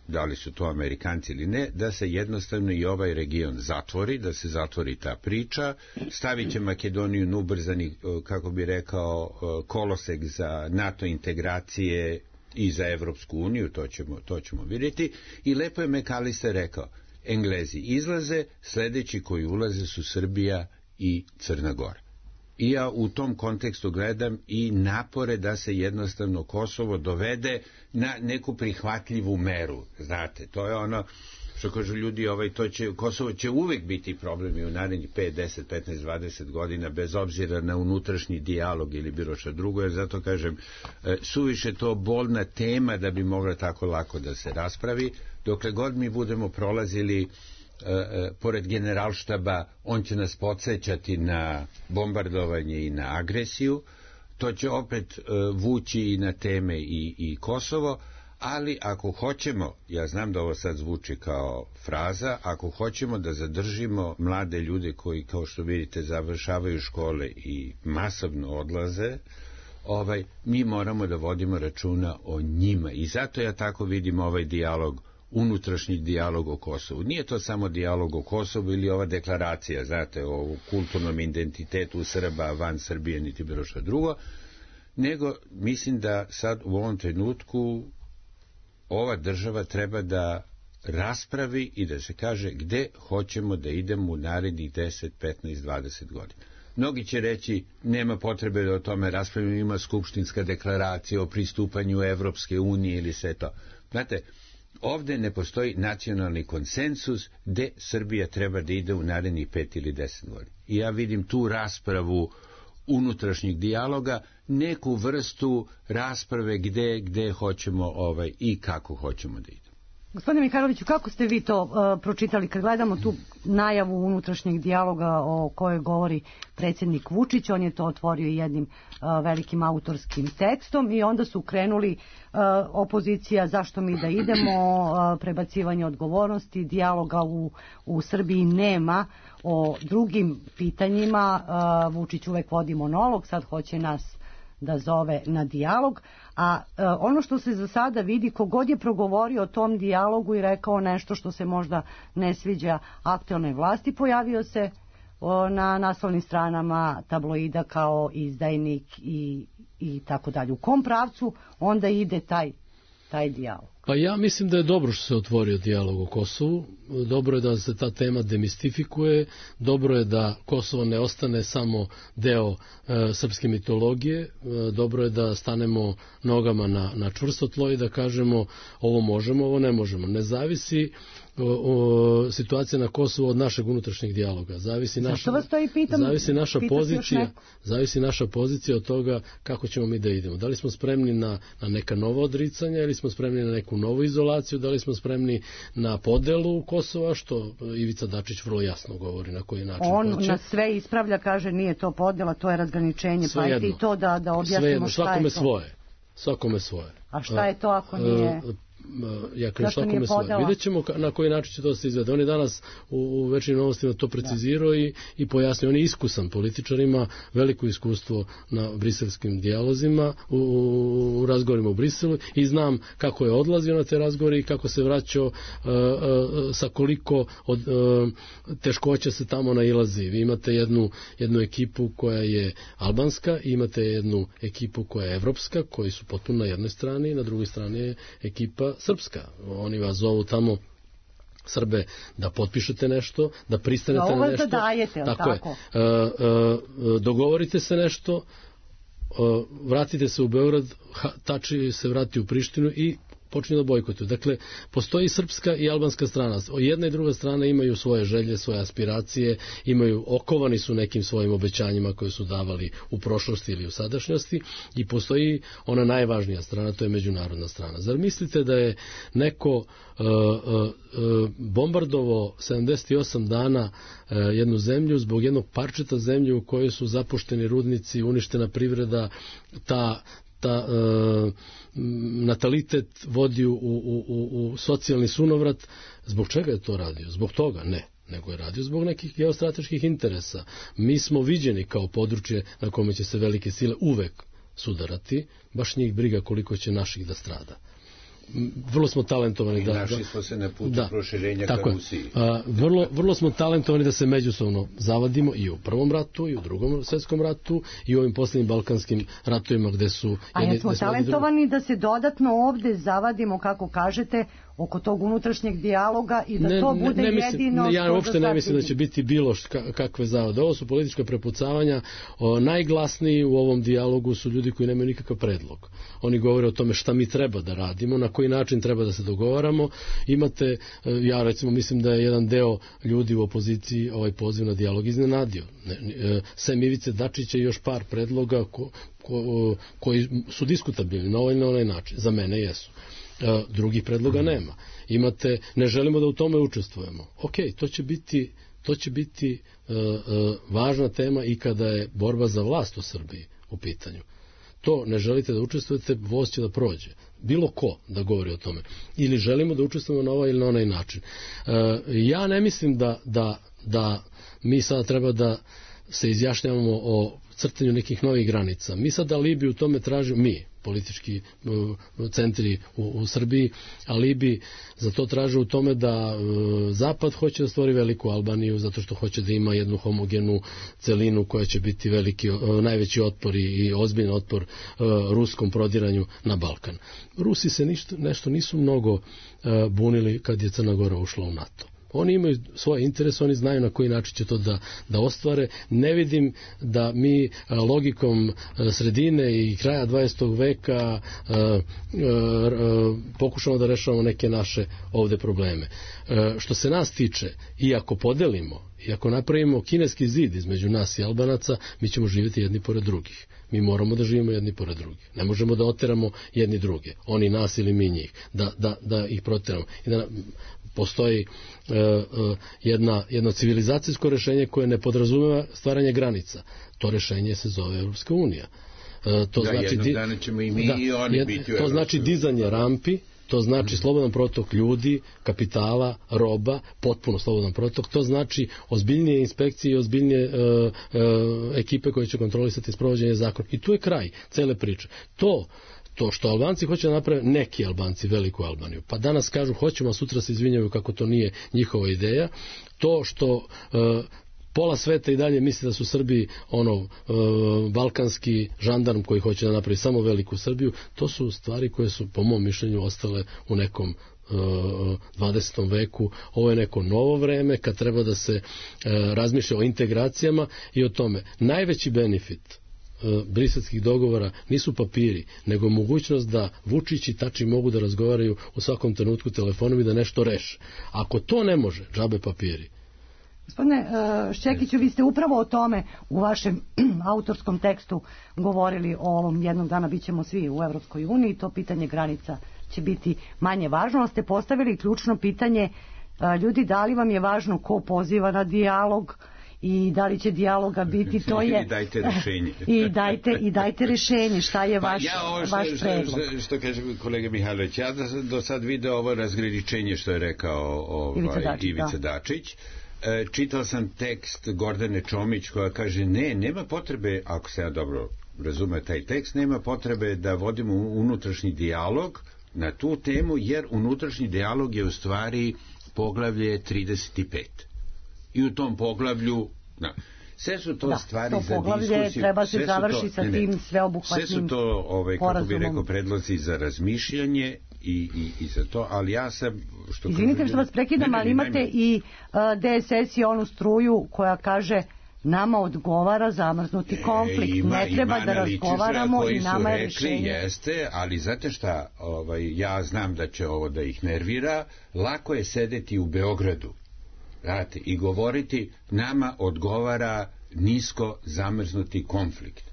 da li su to Amerikanci ili ne, da se jednostavno i ovaj region zatvori, da se zatvori ta priča, stavit će Makedoniju na ubrzani, kako bi rekao, kolosek za NATO integracije i za Evropsku uniju, to ćemo vidjeti. I lepo je McAllister rekao, Englezi izlaze, sljedeći koji ulaze su Srbija i Crna Gora. I ja u tom kontekstu gledam i napore da se jednostavno Kosovo dovede na neku prihvatljivu meru. Znate, to je ono što kažu ljudi, Kosovo će uvijek biti problem i u narednih 5, 10, 15, 20 godina, bez obzira na unutrašnji dijalog ili bilo što drugo, jer zato kažem, suviše to bolna tema da bi mogla tako lako da se raspravi. Dokle god mi budemo prolazili pored generalštaba, on će nas podsjećati na bombardovanje i na agresiju, to će opet vući i na teme i Kosovo, ali ako hoćemo, ja znam da ovo sad zvuči kao fraza, ako hoćemo da zadržimo mlade ljude koji, kao što vidite, završavaju škole i masovno odlaze, mi moramo da vodimo računa o njima. I zato ja tako vidim ovaj dijalog, unutrašnji dijalog o Kosovu. Nije to samo dijalog o Kosovu ili ova deklaracija, znate, o kulturnom identitetu Srba van Srbije, niti bilo što drugo, nego mislim da sad u ovom trenutku ova država treba da raspravi i da se kaže gde hoćemo da idemo u narednih 10, 15, 20 godina. Mnogi će reći, nema potrebe da o tome raspravimo, ima skupštinska deklaracija o pristupanju Evropske unije ili sve to. Znate, ovdje ne postoji nacionalni konsensus gde Srbija treba da ide u narednih 5 ili 10 godina. I ja vidim tu raspravu unutrašnjeg dijaloga, neku vrstu rasprave gde hoćemo i kako hoćemo da idemo. Gospodine Mihajloviću, kako ste vi to pročitali kad gledamo tu najavu unutrašnjeg dijaloga o kojoj govori predsjednik Vučić? On je to otvorio jednim velikim autorskim tekstom i onda su krenuli opozicija zašto mi da idemo, prebacivanje odgovornosti, dijaloga u Srbiji nema o drugim pitanjima. Vučić uvek vodi monolog, sad hoće nas da zove na dijalog, a ono što se za sada vidi, kogod je progovorio o tom dijalogu i rekao nešto što se možda ne sviđa aktualnoj vlasti, pojavio se na naslovnim stranama tabloida kao izdajnik i tako dalje. U kom pravcu onda ide taj dijalog? Pa ja mislim da je dobro što se otvorio dijalog o Kosovu, dobro je da se ta tema demistifikuje, dobro je da Kosovo ne ostane samo deo srpske mitologije, dobro je da stanemo nogama na čvrsto tlo i da kažemo ovo možemo, ovo ne možemo. Ne zavisi situacija na Kosovu od našeg unutrašnjeg dijaloga. Zavisi naša pozicija od toga kako ćemo mi da idemo. Da li smo spremni na neka nova odricanja ili smo spremni na neku novu izolaciju, da li smo spremni na podelu Kosova, što Ivica Dačić vrlo jasno govori na koji način on hoće. Na sve ispravlja, kaže nije to podela, to je razgraničenje, pa i to da objasnimo šta je to. Svakome svoje. A šta je to ako nije? ja kažem svakome svoje. Vidjet ćemo na koji način će to se izvede. On je danas u Večernjim novostima to precizirao i pojasnio. On je iskusan političar, ima veliko iskustvo na briselskim dijalozima, u razgovorima u Briselu i znam kako je odlazio na te razgovore i kako se vraćao, sa koliko od teškoća se tamo nailazi. Vi imate jednu ekipu koja je albanska i imate jednu ekipu koja je evropska, koji su potpuno na jednoj strani, na drugoj strani je ekipa srpska. Oni vas zovu tamo Srbe da potpišete nešto, da pristanete na nešto. Dajete, tako je. Dogovorite se nešto, vratite se u Beograd, Tači se vrati u Prištinu i počinju da bojkotuju. Dakle, postoji srpska i albanska strana. Jedna i druga strana imaju svoje želje, svoje aspiracije, okovani su nekim svojim obećanjima koje su davali u prošlosti ili u sadašnjosti i postoji ona najvažnija strana, to je međunarodna strana. Zar mislite da je neko bombardovao 78 dana jednu zemlju zbog jednog parčeta zemlje u kojoj su zapušteni rudnici, uništena privreda, ta natalitet vodi u socijalni sunovrat? Zbog čega je to radio? Zbog toga? Ne. Nego je radio zbog nekih geostrateških interesa. Mi smo viđeni kao područje na kome će se velike sile uvek sudarati, baš njih briga koliko će naših da strada. Vrlo smo talentovani da... Našli smo se na putu proširenja ka Rusiji. Vrlo smo talentovani da se međusobno zavadimo i u Prvom ratu, i u Drugom svjetskom ratu, i u ovim posljednjim balkanskim ratovima gde su... A jesmo talentovani da se dodatno ovde zavadimo, kako kažete, oko tog unutrašnjeg dijaloga i da to bude jedino... Ja uopšte ne mislim da će biti bilo kakve zavade. Ovo su politička prepucavanja. Najglasniji u ovom dijalogu su ljudi koji nemaju nikakav predlog. Oni govore o tome šta mi treba da radimo, na koji način treba da se dogovaramo. Imate, ja recimo mislim da je jedan deo ljudi u opoziciji ovaj poziv na dijalog iznenadio. Sem Ivice Dačića i još par predloga koji su diskutabilni na ovaj ili na onaj način. Za mene jesu. Drugih predloga nema. Imate, ne želimo da u tome učestvujemo. Ok, to će biti važna tema i kada je borba za vlast u Srbiji u pitanju. To ne želite da učestvujete, voz će da prođe. Bilo ko da govori o tome. Ili želimo da učestvujemo na ovaj ili na onaj način. Ja ne mislim da mi sada treba da se izjašnjavamo o crtanju nekih novih granica. Mi sad alibi u tome tražimo, mi, politički centri u Srbiji, alibi za to traže u tome da Zapad hoće da stvori veliku Albaniju zato što hoće da ima jednu homogenu celinu koja će biti najveći otpor i ozbiljan otpor ruskom prodiranju na Balkan. Rusi se nešto nisu mnogo bunili kad je Crna Gora ušla u NATO. Oni imaju svoje interese, oni znaju na koji način će to da ostvare. Ne vidim da mi logikom sredine i kraja 20. veka pokušamo da rešavamo neke naše ovde probleme. Što se nas tiče, i ako podelimo, i ako napravimo kineski zid između nas i Albanaca, mi ćemo živjeti jedni pored drugih. Mi moramo da živimo jedni pored drugih. Ne možemo da oteramo jedni druge. Oni nas ili mi njih. Da ih proteramo. I da postoji jedno civilizacijsko rešenje koje ne podrazumeva stvaranje granica. To rešenje se zove Evropska unija. Jednog dana ćemo i mi i oni biti u Evropskoj uniji. To znači dizanje rampi, to znači slobodan protok ljudi, kapitala, roba, potpuno slobodan protok. To znači ozbiljnije inspekcije i ozbiljnije ekipe koje će kontrolisati sprovođenje zakona. I tu je kraj cele priče. To što Albanci hoće da naprave, neki Albanci, veliku Albaniju, pa danas kažu hoćemo, a sutra se izvinjaju kako to nije njihova ideja, to što pola sveta i dalje misli da su Srbi balkanski žandarm koji hoće da napravi samo veliku Srbiju, to su stvari koje su po mom mišljenju ostale u nekom 20. veku. Ovo je neko novo vreme kad treba da se razmišlja o integracijama i o tome. Najveći benefit briselskih dogovora nisu papiri, nego mogućnost da Vučić i Tači mogu da razgovaraju u svakom trenutku telefonom i da nešto reše. Ako to ne može, džabe papiri. Gospodine Šćekiću, vi ste upravo o tome u vašem autorskom tekstu govorili o ovom jednog dana bit ćemo svi u Evropskoj uniji, to pitanje granica će biti manje važno, ali ste postavili ključno pitanje ljudi, da li vam je važno ko poziva na dijalog i da li će dijaloga biti, to je... I dajte rešenje. I dajte rešenje, šta je vaš predlog? Što kaže kolega Mihajlović, ja do sad video ovo razgraničenje što je rekao Ivica Dačić. Čitao sam tekst Gordane Čomić koja kaže nema potrebe, ako se ja dobro razume taj tekst, nema potrebe da vodimo unutrašnji dijalog na tu temu, jer unutrašnji dijalog je u stvari poglavlje 35. I u tom poglavlju sve su to stvari za diskusiju. Treba se završiti sa tim sveobuhvatnim sve su to, kako bih rekao, predlozi za razmišljanje i za to, ali ja sam... Izvinite što vas prekidam, ali imate i DSS i onu struju koja kaže nama odgovara zamrznuti konflikt. Ne treba da razgovaramo i nama je rešenje. Jeste, ali znate šta, ja znam da će ovo da ih nervira, lako je sedeti u Beogradu i govoriti nama odgovara nisko zamrznuti konflikt.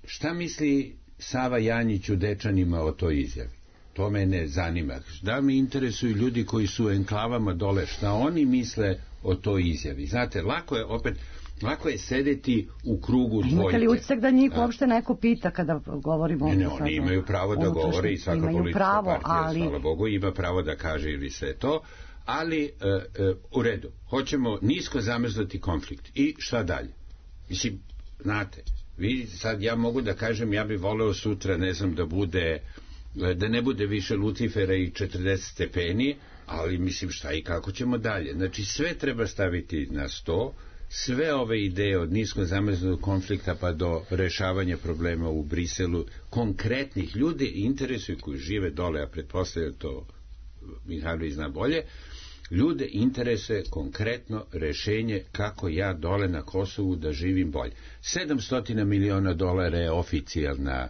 Šta misli Sava Janjić u Dečanima o toj izjavi? To me ne zanima. Da me interesuju ljudi koji su u enklavama dole, šta oni misle o toj izjavi. Znate, lako je sedeti u krugu dvojke. Imate li utisak da njih uopšte neko pita kada govorimo o Ne, oni imaju pravo da govore i svaka politička partija, hvala Bogu, ima pravo da kaže ili sve to, ali u redu. Hoćemo nisko zamrznuti konflikt. I šta dalje? Mislim, znate, sad ja mogu da kažem, ja bih voleo sutra, ne znam, da ne bude više Lucifera i 40 stepeni, ali mislim šta i kako ćemo dalje. Znači sve treba staviti na sto, sve ove ideje od nisko zamrznutog konflikta pa do rešavanja problema u Briselu, konkretnih ljudi interesuju koji žive dole, a pretpostavljam to Mihajlović zna bolje, ljude interesuje konkretno rešenje kako ja dole na Kosovu da živim bolje. $700 miliona je oficijalna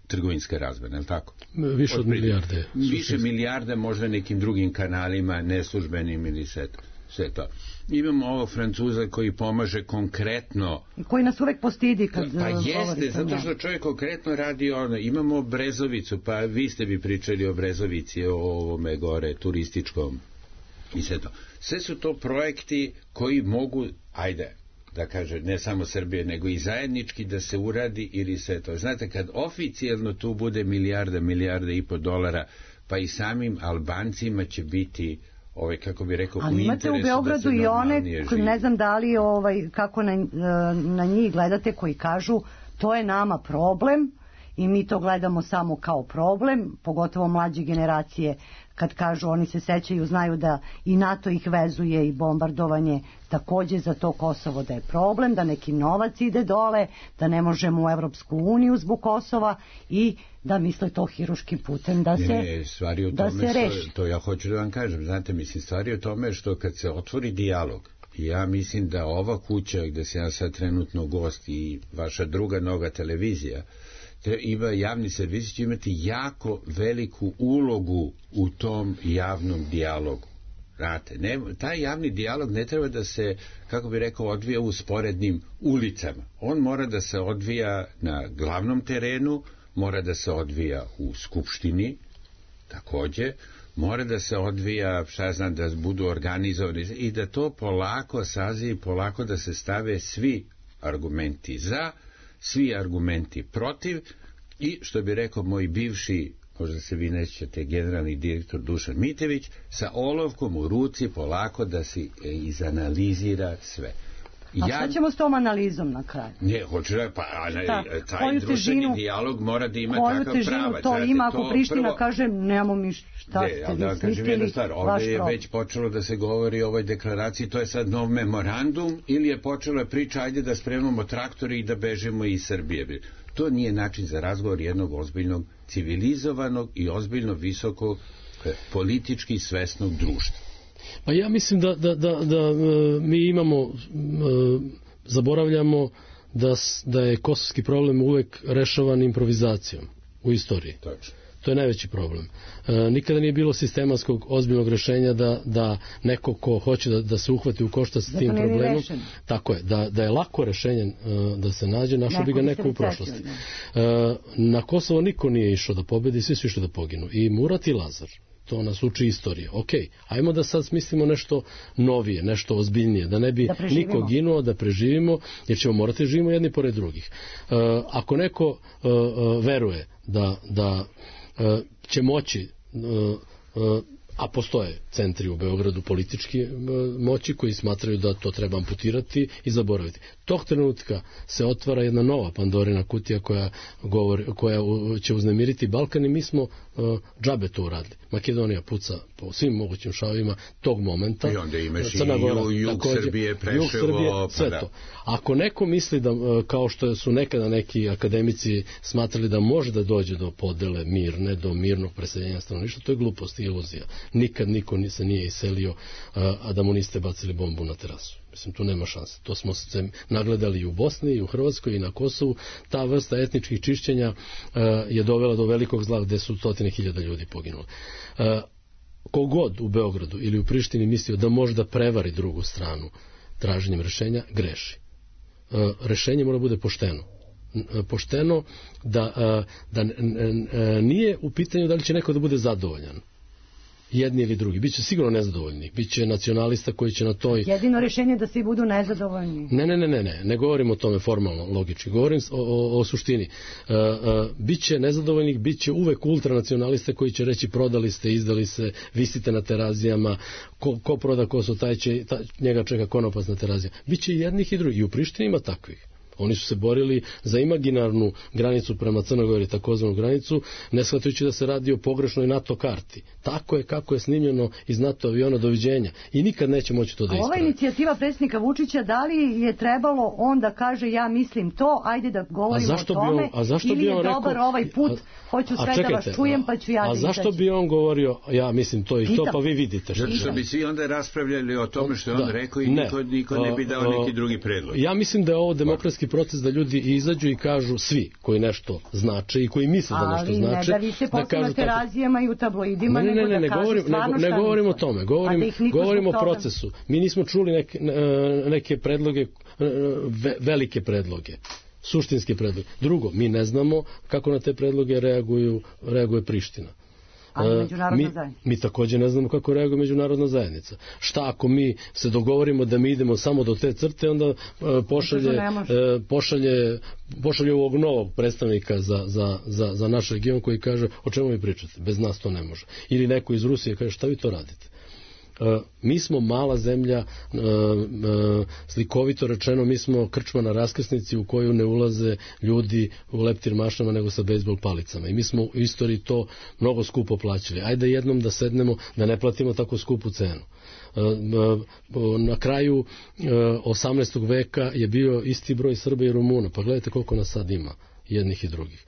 trgovinska razmena, je li tako? Više od milijarde. Više milijarde, možda nekim drugim kanalima, neslužbenim ili sve to. Imamo ovog Francuza koji pomaže konkretno... Koji nas uvek postidi kad govorite. Pa jeste, zato što čovjek konkretno radi imamo Brezovicu, pa vi ste bi pričali o Brezovici, o ovome gore, turističkom i sve to. Sve su to projekti koji mogu, da kaže, ne samo Srbije, nego i zajednički da se uradi ili sve to. Znate, kad oficijalno tu bude milijarde i po dolara, pa i samim Albancima će biti, kako bi rekao, ali imate u Beogradu i one, ne znam da li, kako na njih gledate, koji kažu to je nama problem i mi to gledamo samo kao problem, pogotovo mlađe generacije, kad kažu, oni se sećaju, znaju da i NATO ih vezuje i bombardovanje takođe za to Kosovo da je problem, da neki novac ide dole, da ne možemo u Evropsku uniju zbog Kosova i da misle to hiruškim putem da se reši. To ja hoću da vam kažem, znate, mislim, stvari o tome što kad se otvori dijalog, ja mislim da ova kuća gde se ja sad trenutno gost i vaša druga noga televizija, ima javni servis, će imati jako veliku ulogu u tom javnom dijalogu. Znate, taj javni dijalog ne treba da se, kako bi rekao, odvija u sporednim ulicama. On mora da se odvija na glavnom terenu, mora da se odvija u Skupštini, takođe, mora da se odvija, da budu organizovani i da to polako sazivi, polako da se stave svi argumenti za, svi argumenti protiv i, što bi rekao moj bivši, možda se vi nećete, generalni direktor Dušan Mitević, sa olovkom u ruci polako da se izanalizira sve. A šta ćemo s tom analizom na kraju? Ne, hoću da, taj društveni dijalog mora da ima takav pravac. To ima, ako Priština kaže, nemamo mi šta ste vi smislili, ovdje je već počelo da se govori o ovoj deklaraciji, to je sad nov memorandum, ili je počela priča, ajde da spremamo traktore i da bežemo iz Srbije. To nije način za razgovor jednog ozbiljnog, civilizovanog i ozbiljno visoko politički svesnog društva. Pa ja mislim da mi imamo, zaboravljamo da je kosovski problem uvek rešavan improvizacijom u istoriji. Tačno. To je najveći problem. Nikada nije bilo sistematskog ozbiljnog rešenja da neko ko hoće da se uhvati u koštac s tim problemom, tako je, da je lako rešenje da se nađe, našao bi ga neko u prošlosti. Na Kosovo niko nije išao da pobedi, svi su išli da poginu. I Murat i Lazar. To nas uči istorija. Ok, ajmo da sad smislimo nešto novije, nešto ozbiljnije, da ne bi niko ginuo, da preživimo, jer ćemo morati živimo jedni pored drugih. Ako neko veruje da će moći, a postoje centri u Beogradu politički moći koji smatraju da to treba amputirati i zaboraviti. Tog trenutka se otvara jedna nova Pandorina kutija koja će uznemiriti Balkan i mi smo džabe to uradili. Makedonija puca po svim mogućim šavima tog momenta. I onda imaš Crna Gora, i jug Srbije, Preševo, sve to. Ako neko misli da, kao što su nekada neki akademici smatrali da može da dođe do podele mirne, do mirnog preseljenja stanovništva, to je glupost i iluzija. Nikad niko se nije iselio, a da mu niste bacili bombu na terasu. Mislim, tu nema šanse. To smo se nagledali i u Bosni, i u Hrvatskoj, i na Kosovu. Ta vrsta etničkih čišćenja je dovela do velikog zla gde su 100.000 ljudi poginuli. Kogod u Beogradu ili u Prištini mislio da može da prevari drugu stranu traženjem rešenja, greši. Rešenje mora bude pošteno. Pošteno da nije u pitanju da li će neko da bude zadovoljan. Jedni ili drugi. Biće sigurno nezadovoljni. Biće nacionalista koji će na toj... Jedino rešenje da svi budu nezadovoljni. Ne govorim o tome formalno, logički. Govorim o suštini. Biće nezadovoljnih, biće uvek ultranacionaliste koji će reći prodali ste, izdali se, visite na terazijama, ko proda kosu, njega čeka konopac na terazijama. Biće i jednih i drugih. I u Prištini ima takvih. Oni su se borili za imaginarnu granicu prema Crnoj Gori, takozvanu granicu, ne shvatajući da se radi o pogrešnoj NATO karti. Tako je kako je snimljeno iz NATO aviona, doviđenja. I nikad neće moći to da ispravi. Ova inicijativa predsjednika Vučića, da li je trebalo on da kaže ja mislim to, ajde da govorimo o tome, ili je dobar ovaj put, hoću sve da vas čujem pa ću ja da izaći. A zašto bi on govorio ja mislim to i to, pa vi vidite što. Što bi svi onda raspravljali o tome što je on rekao i niko ne bi dao neki drugi predlog. Ja mislim da je ovo demokratski proces da ljudi izađu i kažu svi koji nešto znače i koji misle da nešto znače. Ali ne da vi se posle na terazijama i u tabloidima, nego da kažu stvarno šta. Ne govorim o tome, govorim o procesu. Mi nismo čuli neke predloge, velike predloge, suštinske predloge. Drugo, mi ne znamo kako na te predloge reaguje Priština. Mi također ne znamo kako reaguje međunarodna zajednica. Šta ako mi se dogovorimo da mi idemo samo do te crte, onda pošalje ovog novog predstavnika za naš region koji kaže o čemu mi pričate, bez nas to ne može. Ili neko iz Rusije kaže šta vi to radite. Mi smo mala zemlja, slikovito rečeno, mi smo krčma na raskrsnici u koju ne ulaze ljudi u leptir mašnama nego sa bejsbol palicama. I mi smo u istoriji to mnogo skupo plaćali. Ajde jednom da sednemo, da ne platimo tako skupu cenu. Na kraju 18. veka je bio isti broj Srba i Rumuna. Pa gledajte koliko nas sad ima, jednih i drugih.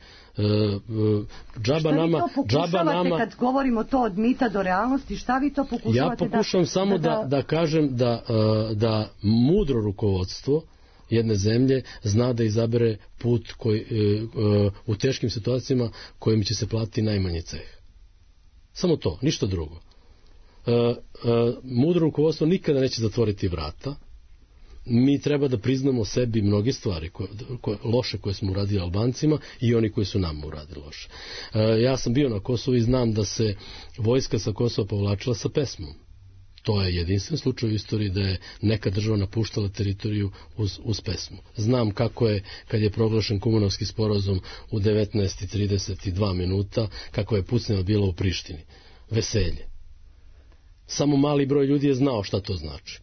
Šta vi to pokušavate kad govorimo to od mita do realnosti, šta vi to pokušavate? Ja pokušavam samo da kažem da mudro rukovodstvo jedne zemlje zna da izabere put koji, u teškim situacijama kojim će se platiti najmanji ceh. Samo to, ništa drugo. Mudro rukovodstvo nikada neće zatvoriti vrata. Mi treba da priznamo sebi mnoge stvari loše koje smo uradili Albancima i oni koji su nam uradili loše. Ja sam bio na Kosovu i znam da se vojska sa Kosova povlačila sa pesmom. To je jedinstven slučaj u istoriji da je neka država napuštala teritoriju uz pesmu. Znam kako je, kad je proglašen Kumanovski sporazum u 19:32 minuta, kako je pucnjava bila u Prištini. Veselje. Samo mali broj ljudi je znao šta to znači.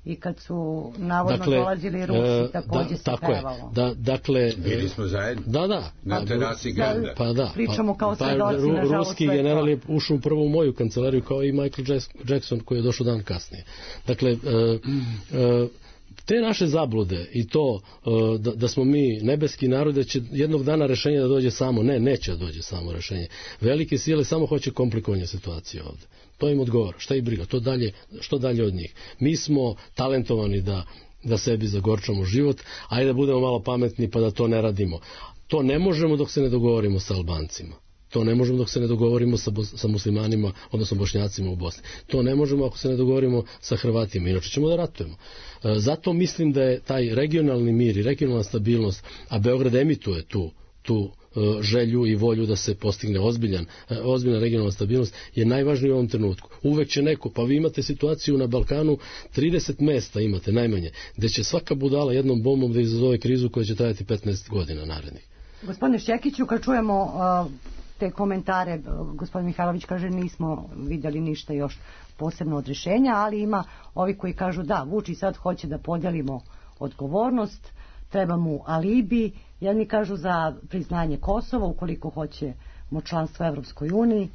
I kad su navodno dolazili Rusi, također se pevalo. Bili smo zajedno na terasi Granda. Pričamo kao svedoci, nažalost. Ruski general je ušao prvo u moju kancelariju kao i Michael Jackson koji je došao dan kasnije. Dakle, te naše zablude i to da smo mi nebeski narod, da će jednog dana rešenje da dođe samo, neće da dođe samo rešenje. Velike sile samo hoće komplikovanje situacije ovde. To im odgovara. Šta ih briga? Što dalje od njih? Mi smo talentovani da sebi zagorčamo život, ajde da budemo malo pametni pa da to ne radimo. To ne možemo dok se ne dogovorimo sa Albancima. To ne možemo dok se ne dogovorimo sa muslimanima, odnosno Bošnjacima u Bosni. To ne možemo ako se ne dogovorimo sa Hrvatima, inače ćemo da ratujemo. Zato mislim da je taj regionalni mir i regionalna stabilnost, a Beograd emituje tu želju i volju da se postigne ozbiljna regionalna stabilnost je najvažnije u ovom trenutku. Uvek će neko, pa vi imate situaciju na Balkanu, 30 mesta imate najmanje, gde će svaka budala jednom bombom da izazove krizu koja će trajati 15 godina narednih. Gospodine Šćekiću, kad čujemo te komentare, gospodin Mihajlović kaže nismo vidjeli ništa još posebno od rješenja, ali ima ovi koji kažu da, Vučić sad hoće da podelimo odgovornost, treba mu alibi, jedni kažu za priznanje Kosova ukoliko hoćemo članstvo u Evropskoj uniji.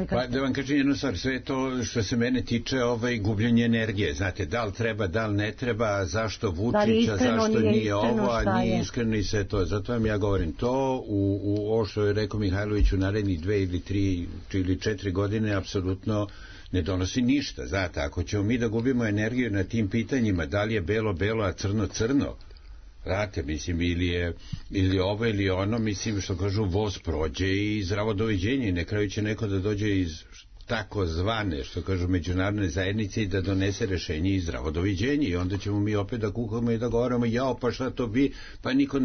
Pa da vam kažem jednu stvar, sve to što se mene tiče gubljenje energije, znate, da li treba, da li ne treba, zašto Vučića, zašto nije ovo, a nije iskreno i sve to. Zato vam ja govorim, to u ovo što je rekao Mihajlović u narednih 2 ili 3 ili 4 godine apsolutno ne donosi ništa. Znate, ako ćemo mi da gubimo energiju na tim pitanjima, da li je belo, belo, a crno, crno, vrate, mislim, ili ovo ili ono, mislim, što kažu, voz prođe i zdravo doviđenje i na kraju će neko da dođe iz tako zvane, što kažu, međunarodne zajednice i da donese rešenje i zdravo doviđenje i onda ćemo mi opet da kukamo i da govorimo, jao, pa šta to bi, pa niko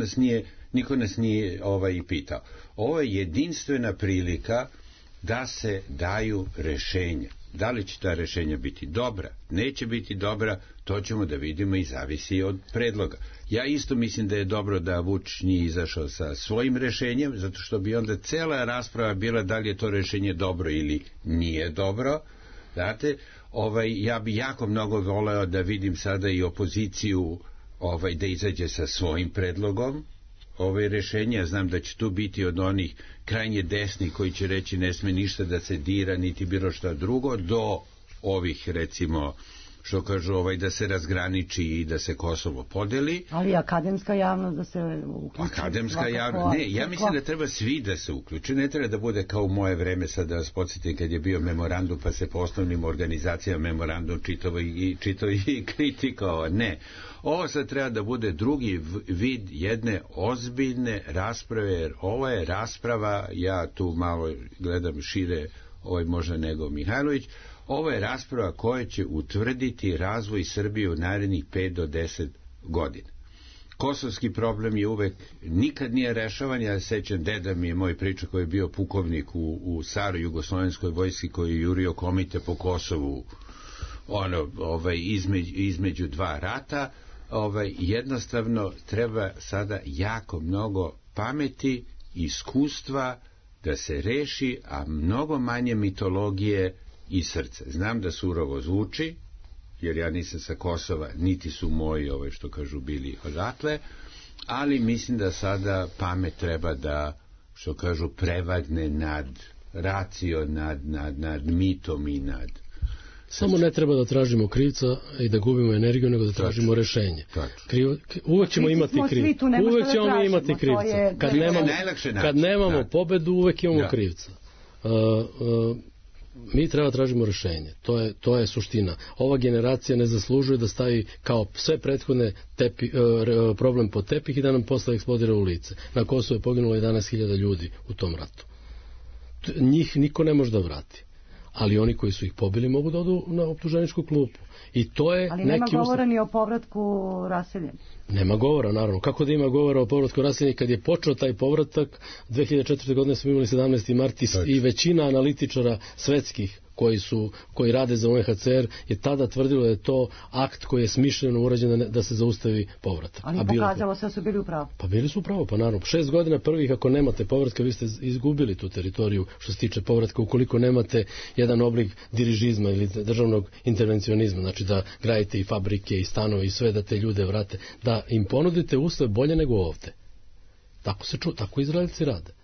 nas nije i pitao. Ovo je jedinstvena prilika da se daju rešenja. Da li će ta rešenja biti dobra, neće biti dobra, to ćemo da vidimo i zavisi od predloga. Ja isto mislim da je dobro da Vučić nije izašao sa svojim rešenjem, zato što bi onda cela rasprava bila da li je to rešenje dobro ili nije dobro. Znate, ja bi jako mnogo voleo da vidim sada i opoziciju da izađe sa svojim predlogom rešenja. Znam da će tu biti od onih krajnje desnih koji će reći ne sme ništa da se dira niti bilo šta drugo, do ovih, recimo, što kažu da se razgraniči i da se Kosovo podeli. Ali akademska javnost da se uključi. Akademska javnost, ne, ja mislim da treba svi da se uključi, ne treba da bude kao u moje vreme, sad da vas podsjetim kad je bio memorandum pa se po osnovnim organizacijama memorandum čitao i kritikovao, ne. Ovo sad treba da bude drugi vid jedne ozbiljne rasprave, jer ovo je rasprava, ja tu malo gledam šire možda nego Mihajlović, ovo je rasprava koja će utvrditi razvoj Srbije u narednih 5 do 10 godina. Kosovski problem je uvek, nikad nije rešavan, ja sećam, deda mi je moj priča koji je bio pukovnik u staroj jugoslovenskoj vojski koji je jurio komite po Kosovu između dva rata. Jednostavno treba sada jako mnogo pameti, iskustva da se reši, a mnogo manje mitologije i srce. Znam da surovo zvuči, jer ja nisam sa Kosova, niti su moji, što kažu, bili odatle, ali mislim da sada pamet treba da, što kažu, prevagne nad racio, nad mitom i nad... Samo ne treba da tražimo krivca i da gubimo energiju, nego da tražimo rešenje. Uvek ćemo imati krivca. Uvek ćemo imati krivca. Kad nemamo pobedu, uvek imamo krivca. Mi treba tražimo rešenje. To je suština. Ova generacija ne zaslužuje da stavi kao sve prethodne problem pod tepih i da nam posle eksplodira u lice. Na Kosovu je poginulo 11.000 ljudi u tom ratu. Njih niko ne može da vrati. Ali oni koji su ih pobili mogu da odu na optuženičku klupu. I to je ali nema govora ni o povratku raseljenih. Nema govora, naravno. Kako da ima govora o povratku raseljenih kad je počeo taj povratak? 2004. godine smo imali 17. mart i većina analitičara svetskih koji rade za UNHCR je tada tvrdilo da je to akt koji je smišljeno urađen da se zaustavi povratak. Ali pokazalo se da su bili u pravu. Pa bili su u pravu, pa naravno. 6 godina prvih ako nemate povratka, vi ste izgubili tu teritoriju što se tiče povratka, ukoliko nemate jedan oblik dirižizma ili državnog intervencionizma, znači da gradite i fabrike i stanove i sve da te ljude vrate, da im ponudite uslove bolje nego ovde. Tako Izraelci rade.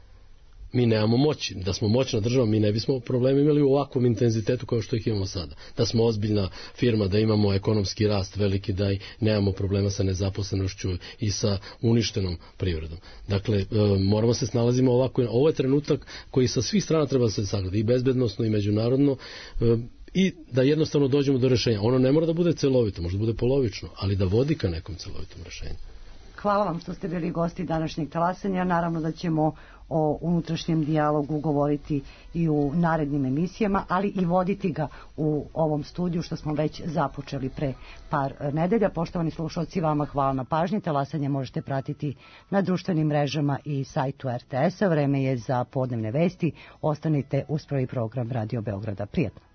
Mi nemamo moći. Da smo moćna država, mi ne bismo probleme imali u ovakvom intenzitetu kao što ih imamo sada. Da smo ozbiljna firma, da imamo ekonomski rast veliki, da nemamo problema sa nezaposlenošću i sa uništenom privredom. Dakle, moramo se snalazimo ovako. Ovo je trenutak koji sa svih strana treba se sagleda, i bezbednosno i međunarodno, i da jednostavno dođemo do rešenja. Ono ne mora da bude celovito, možda bude polovično, ali da vodi ka nekom celovitom rešenju. Hvala vam što ste bili gosti današnjeg talasanja. Naravno da ćemo o unutrašnjem dijalogu govoriti i u narednim emisijama, ali i voditi ga u ovom studiju što smo već započeli pre par nedelja. Poštovani slušalci, vama hvala na pažnji. Talasanje možete pratiti na društvenim mrežama i sajtu RTS-a. Vreme je za podnevne vesti. Ostanite uz prvi program Radio Beograda. Prijetno.